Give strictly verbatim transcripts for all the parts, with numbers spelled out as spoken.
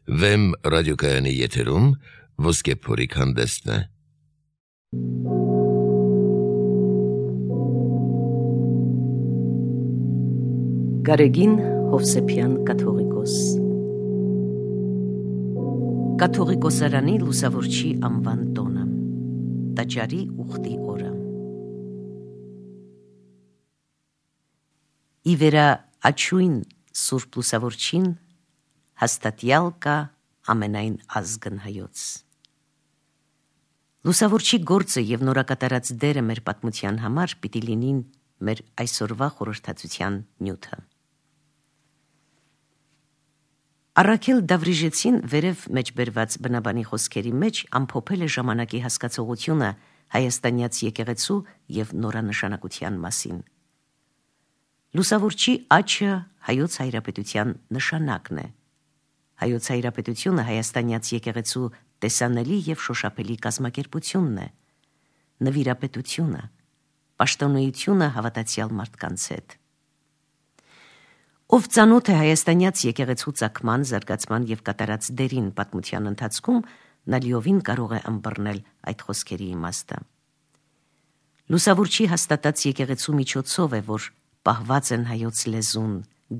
Վեմ ռադիոկայանի եթերում ոսկե փորիկ հանդեսն է։ Գարեգին Հովսեփյան կաթողիկոս Կաթողիկոսարանի լուսավորչի անվան տոնը Տաճարի ուխտի օրը Ի վերա աչույն Սուրբ լուսավորչին հաստատյալ կա ամենայն ազգն հայոց։ Լուսավորչի գործը և նորակատարած դերը մեր պատմության համար պիտի լինին մեր այսօրվա խորհրդածության նյութը։ Առաքել Դավրիժեցին վերև մեջբերված բնաբանի խոսքերի մեջ ամփոփել է ժամանակի հասկացողությունը հայաստանյաց եկեղեցու և նորանշանակության մասին։ Լուսավորչի աչը հայոց հայրապետության նշանակն է։ Հայոց հայրապետությունը հայաստանյաց եկեղեցու տեսանելի և շոշափելի կազմակերպությունն է, նվիրապետությունը, պաշտոնեությունը հավատացյալ մարդկանց հետ։ Ով ծանոթ է հայաստանյաց եկեղեցու ծագման, զարգացման և կատարած դերին պատմության ընթացքում, նա լիովին կարող է ըմբռնել այդ խոսքերի իմաստը։ Լուսավորչի հաստատած եկեղեցու միջոցով է, որ պահված են հայոց լեզուն,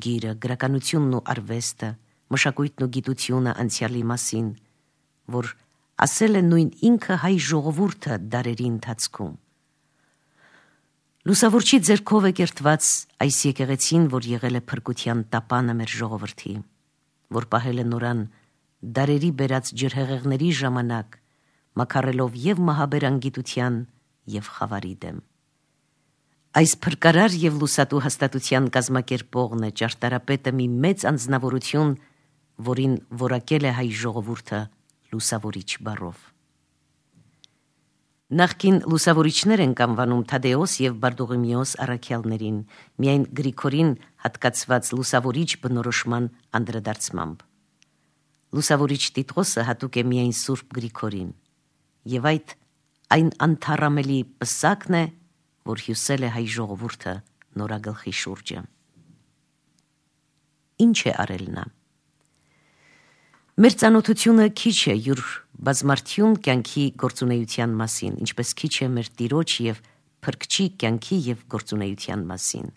գիրը, գրականությունն ու արվեստը, մշակույթն ու գիտությունը անցյալի մասին, որ ասել է նույն ինքը հայ ժողովուրդը դարերի ընթացքում։ Լուսավորչի ձեռքով է կերտված այս եկեղեցին, որ եղել է փրկության տապանը մեր ժողովրդի, որ պահել է նորան դարերի բերած ջրհեղեղների ժամանակ, մաքարելով և մահաբերանգիտության և խավարի դեմ։ Այս փրկարար և լուսատու հաստատության կազմակերպողն է, ճարտարապետը մի մեծ անձնավորություն, որին որակել է հայ ժողովուրդը լուսավորիչ բառով։ Նախկին լուսավորիչներ ենք անվանում Թադեոս և Բարդուղիմեոս առաքյալներին, միայն Գրիգորին հատկացված լուսավորիչ բնորոշման անդրադարձմամբ։ Լուսավորիչ տիտղոսը հատուկ է միայն Սուրբ Գրիգորին, և այդ այն անթառամելի պսակն է, որ հյուսել է հայ ժողովուրդը նորագլխի շուրջը։ Ինչ է արել նա։ Մեր ծանոթությունը քիչ է յուր բազմարդյուն կյանքի գործունեության մասին, ինչպես քիչ է մեր Տիրոջ և Փրկչի կյանքի և գործունեության մասին։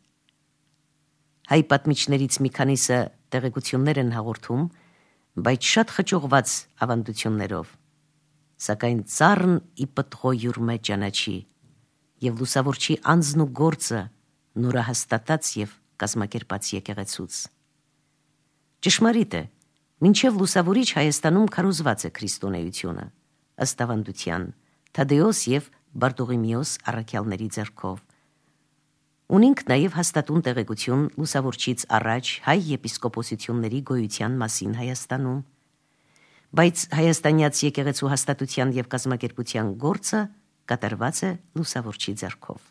Հայ պատմիչներից մի քանիսը տեղեկություններ են հաղորդում, բայց շատ խճողված ավանդություններով, սակայն ծառն ի պտղո յուր մեջ ճանաչի, և լուսավորչի անձն ու գործը նորահաստատած և կազմակերպած եկեղեցուց։ Ճշմարիտ է, մինչև լուսավորիչ Հայաստանում քարոզված է քրիստոնեությունը, ըստ ավանդության, Թադեոս և Բարդուղիմեոս առաքյալների ձեռքով։ Ունենք նաև հաստատուն տեղեկություն լուսավորչից առաջ հայ եպիսկոպոսությունների գոյության մասին Հայաստանում, բայց հայաստանյաց եկեղեցու հաստատության և կազմակերպության գործը կատարված է լուսավորչի ձեռքով։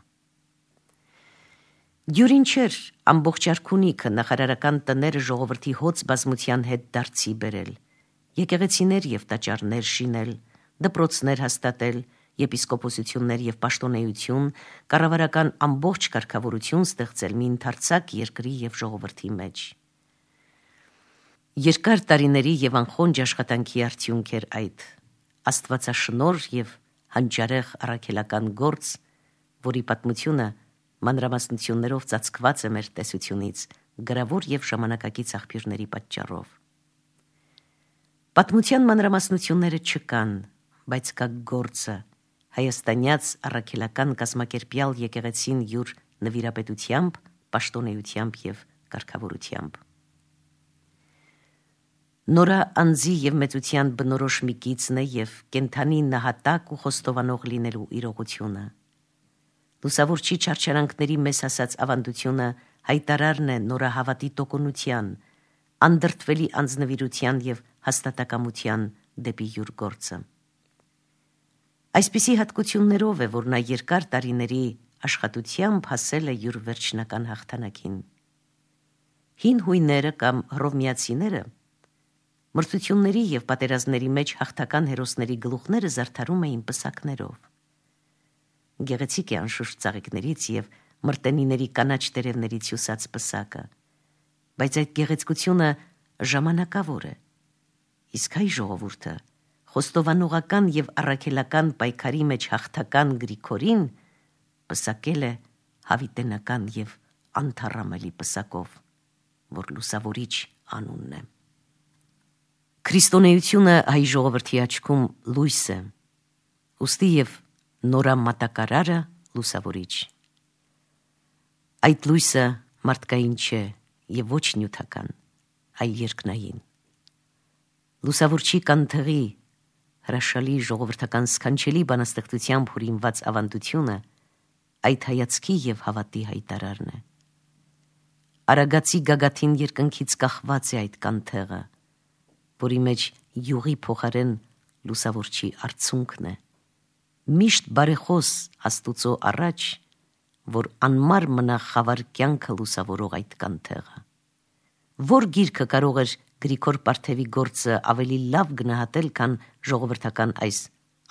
Դյուրին չէր ամբողջ արքունիքը, նախարարական տները ժողովրդի հոծ բազմության հետ դարձի բերել, եկեղեցիներ և տաճարներ շինել, դպրոցներ հաստատել, եպիսկոպոսություններ և պաշտոնեություն, կառավարական ամբողջ կարգավորություն ստեղծել մի ընդարձակ երկրի և ժողովրդի մեջ։ Երկար տարիների և անխոնջ աշխատանքի արդյունք էր այդ, աստվածաշնորհ և հանճարեղ առաքելական գործ, որի պատմությունը մանրամասնություններով ծածկված է մեր տեսությունից գրավոր և ժամանակակից աղբյուրների պատճառով։ Պատմության մանրամասնությունները չկան, բայց կա գործը, հայաստանյաց առաքելական կազմակերպյալ եկեղեցին յուր նվիրապետությամբ, պաշտոնեությամբ և կարգավորությամբ։ Նորա անձի և մեծության բնորոշ մի գիծն է և կենդանի նահատակ ու խոստովանող լինելու իրողությունը։ Լուսավորչի չարչարանքների մեզ հասած ավանդությունը հայտարարն է նորահավատի տոկունության, անդրդվելի անձնվիրության և հաստատակամության դեպի յուր գործը։ Այսպիսի հատկություններով է, որ նա երկար տարիների աշխատությամբ հասել է յուր վերջնական հաղթանակին։ Հին հույները կամ հռովմեացիները մրցությունների և պատերազմների մեջ հաղթական հերոսների գլուխները զարդարում էին պսակներով։ Գեղեցիկ է անշուշտ ծաղիկներից և մրտենիների կանաչ տերևներից հյուսած պսակը, բայց այդ գեղեցկությունը ժամանակավոր է, իսկ հայ ժողովուրդը խոստովանողական եւ առաքելական պայքարի մեջ հաղթական Գրիգորին պսակել է հավիտենական եւ անթառամելի պսակով, որ լուսավորիչ անունն է։ Քրիստոնեությունը հայ ժողովրդի աչքում լույս է, ուստի եւ նորամատակարարը լուսավորիչ։ Այդ լույսը մարդկային չէ եւ ոչ նյութական, այլ երկնային։ Լուսավորչի կանթեղի հրաշալի ժողովրդական սքանչելի բանաստեղծությամբ հորինված ավանդությունը այդ հայացքի եւ հավատի հայտարարն է։ Արագացի գագաթին երկնքից կախված է այդ կանթեղը, որի մեջ յուղի փոխարեն լուսավորչի արցունքն է, միշտ բարեխոս Աստուծո առաջ, որ անմար մնա խավար կյանքը լուսավորող այդ կանթեղը։ Որ գիրքը կարող էր Գրիգոր Պարթևի գործը ավելի լավ գնահատել, քան ժողովրդական այս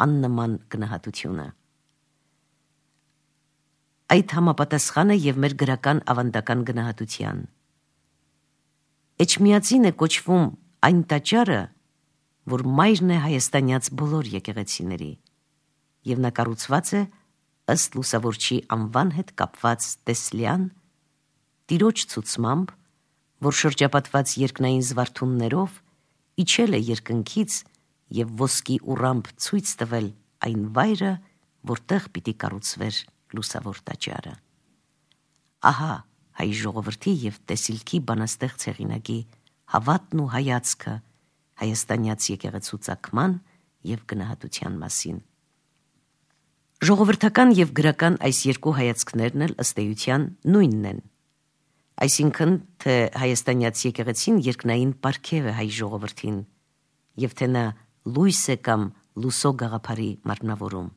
աննման գնահատությունը։ Այդ համապատասխան է եւ մեր գրական ավանդական գնահատության։ Էջմիածին է կոչվում այն տաճարը, որ մայրն է հայաստանյաց բոլոր եկեղեցիների, եւ նա կառուցված է ըստ լուսավորչի անվան հետ կապված տեսլյան տիրոջ ցուցմամբ, որ շրջապատված երկնային զվարթուններով իջել է երկնքից եւ ոսկի ուռամբ ցույց տվել այն վայրը, որտեղ պիտի կառուցվեր լուսավոր տաճարը։ Ահա հայ ժողովրդի եւ տեսիլքի բանաստեղծ հեղինակի հավատն ու հայացքը հայաստանյաց եկեղեցու ծագման եւ գնահատության մասին։ Ժողովրդական եւ գրական այս երկու հայացքներն էլ ըստ էության նույնն են։ Այսինքն, թե հայաստանյաց եկեղեցին երկնային պարգև է հայ ժողովրդին, եւ թե նա լույս է կամ լուսո գաղափարի մարմնավորում։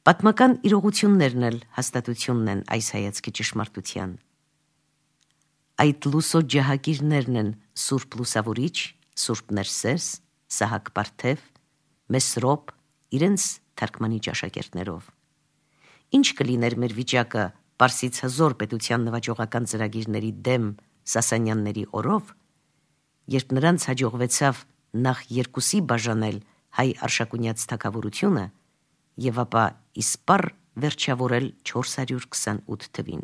Պատմական իրողություններն էլ հաստատությունն են այս հայացքի ճշմարտության։ Այդ լուսո ջահագիրներն են Սուրբ Լուսավորիչ, Սուրբ Ներսես, Սահակ Պարթև, Մեսրոպ, իրենց թարգմանիչ աշակերտներով։ Ինչ կլիներ մեր վիճակը Պարսից հզոր պետության նվաճողական ծրագիրների դեմ Սասանյանների օրով, երբ նրանց հաջողվեցավ նախ երկուսի բաժանել հայ արշակունյաց թագավորությունը եւ ապա իսպառ վերջավորել չորս հարյուր քսանութ թվին։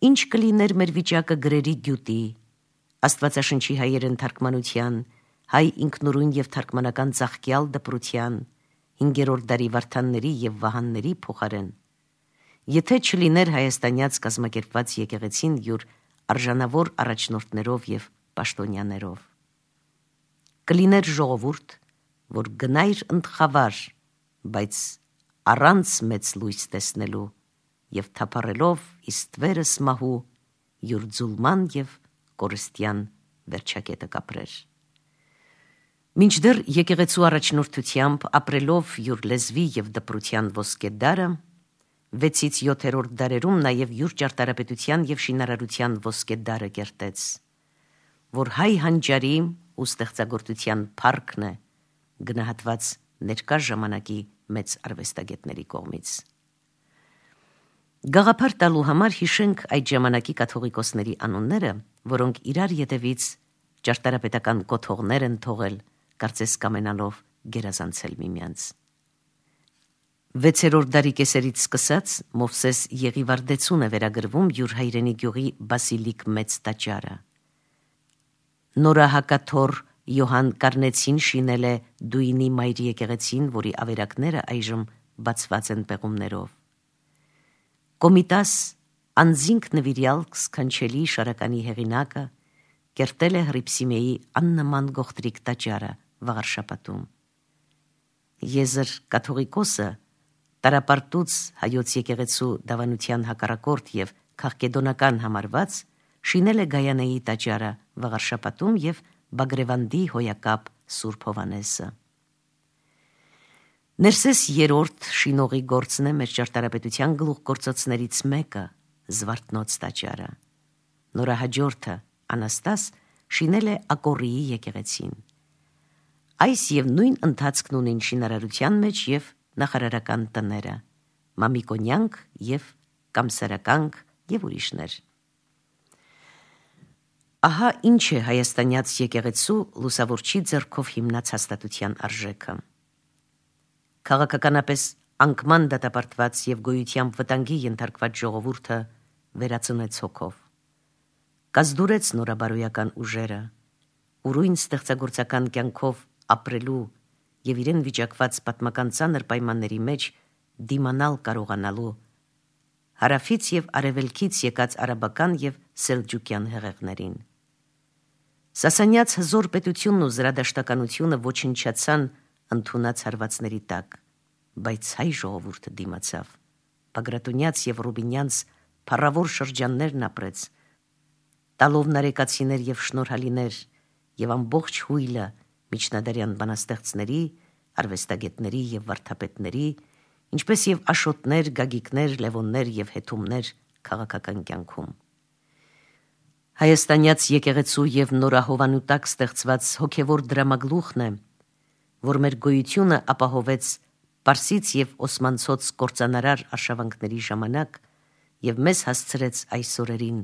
Ինչ կլիներ մեր վիճակը գրերի գյուտի, Աստվածաշնչի հայերեն թարգմանության, հայ ինքնուրույն եւ թարգմանական ծաղկյալ դպրության, հինգերորդ դարի Վարդանների եւ Վահանների փոխարեն, եթե չլիներ հայաստանյաց կազմակերպված եկեղեցին յուր արժանավոր առաջնորդներով եւ պաշտոնյաներով։ Կլիներ ժողովուրդ, որ գնայր ընդխավար, բայց առանց մեծ լույս տեսնելու եւ թափառելով իստվերը սմահու յուր ձուլման եւ կորստյան վերջակետը կապրեր։ Մինչդեռ եկեղեցու առաջնորդությամբ ապրելով յուր լեզվի եւ դպրության ոսկե դարը, վեցից յոթերորդ դարերում նաև յուր ճարտարապետության եւ շինարարության ոսկե դարը կերտեց, որ հայ հանճարի ու ստեղծագործության փառքն է գնահատված ներկա ժամանակի մեծ արվեստագետների կողմից։ Գաղափար տալու համար հիշենք այդ ժամանակի կաթողիկոսների անունները, որոնք իրար ետևից ճարտարապետական կոթողներ են թողել, կարծես կամենալով գերազանցել միմյանց։ Վեցերորդ դարի կեսերից սկսած Մովսես Եղիվարդեցուն է վերագրվում յուր հայրենի գյուղի Բասիլիկ մեծ տաճարը։ Նորահակաթոռ Յոհան Կարնեցին շինել է Դույնի մայրի եկեղեցին, որի ավերակները այժմ բացված են պեղումներով։ Կոմիտաս անձինք նվիրյալ սքանչելի շարականի հեղինակը կերտել է Հռիփսիմեի աննման գողտրիկ տաճարը Վաղարշապատում։ Եզր կաթողիկոսը Տարապարտուց հայոց եկեղեցու դավանության հակառակորդ եւ քաղկեդոնական համարված շինել է Գայանեի տաճարը Վաղարշապատում եւ Բագրևանդի հոյակապ Սուրբ Հովանեսը։ Ներսես երրորդ շինողի գործն է մեր ճարտարապետության գլուխգործոցներից մեկը Զվարթնոց տաճարը։ Նորահաջորդը Անաստաս շինել է Ակորիի եկեղեցին։ Այս եւ նույն ընթացքն ունին շինարարության մեջ եւ նախարարական տները, Մամիկոնյանք եւ Կամսարականք եւ ուրիշներ։ Ահա ինչ է հայաստանյաց եկեղեցու լուսավորչի ձեռքով հիմնած հաստատության արժեքը։ Քաղաքականապես անկման դատապարտված եւ գոյությամբ վտանգի ենթարկված ժողովուրդը վերացնեց հոգով։ Կազդուրեց նորաբարոյական ուժերը, ուրույն ստեղծագործական կյանքով ապրելու եւ իրեն վիճակված պատմական ծանր պայմանների մեջ դիմանալ կարողանալու հարավից եւ արևելքից եկած արաբական եւ սելջուկյան հեղեղներին։ Սասանյաց հզոր պետությունն ու զրադաշտականությունը ոչնչացան ընդունած հարվածների տակ, բայց հայ ժողովուրդը դիմացավ, Բագրատունյաց եւ Ռուբինյանց փառավոր շրջաններն ապրեց, տալով նարեկացիներ եւ շնորհալիներ եւ ամբողջ հույլը միջնադարյան բանաստեղծների, արվեստագետների եւ վարդապետների, ինչպես եւ աշոտներ, գագիկներ, լևոններ եւ հետումներ քաղաքական կյանքում։ Հայաստանյաց եկեղեցու եւ նորահովանու տակ ստեղծված հոգեվոր դրամագլուխն է, որ մեր գոյությունը ապահովեց Պարսից եւ Օսմանցոց կործանարար արշավանքների ժամանակ եւ մեզ հասցրեց այս օրերին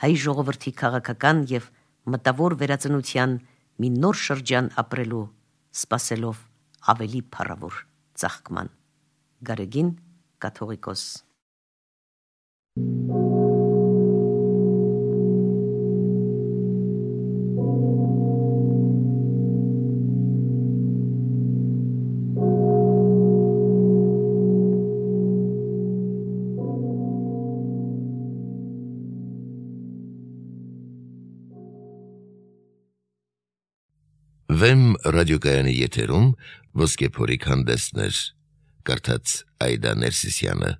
հայ ժողովրդի քաղաքական եւ մտավոր վերածնության մի նոր շրջան ապրելու, սպասելով ավելի փառավոր ծաղկման։ Գարեգին կաթողիկոս։ Վեմ ռադիոկայանի եթերում ոսկե փորիկ հանդեսներ, կարդաց Այդա Ներսիսյանը։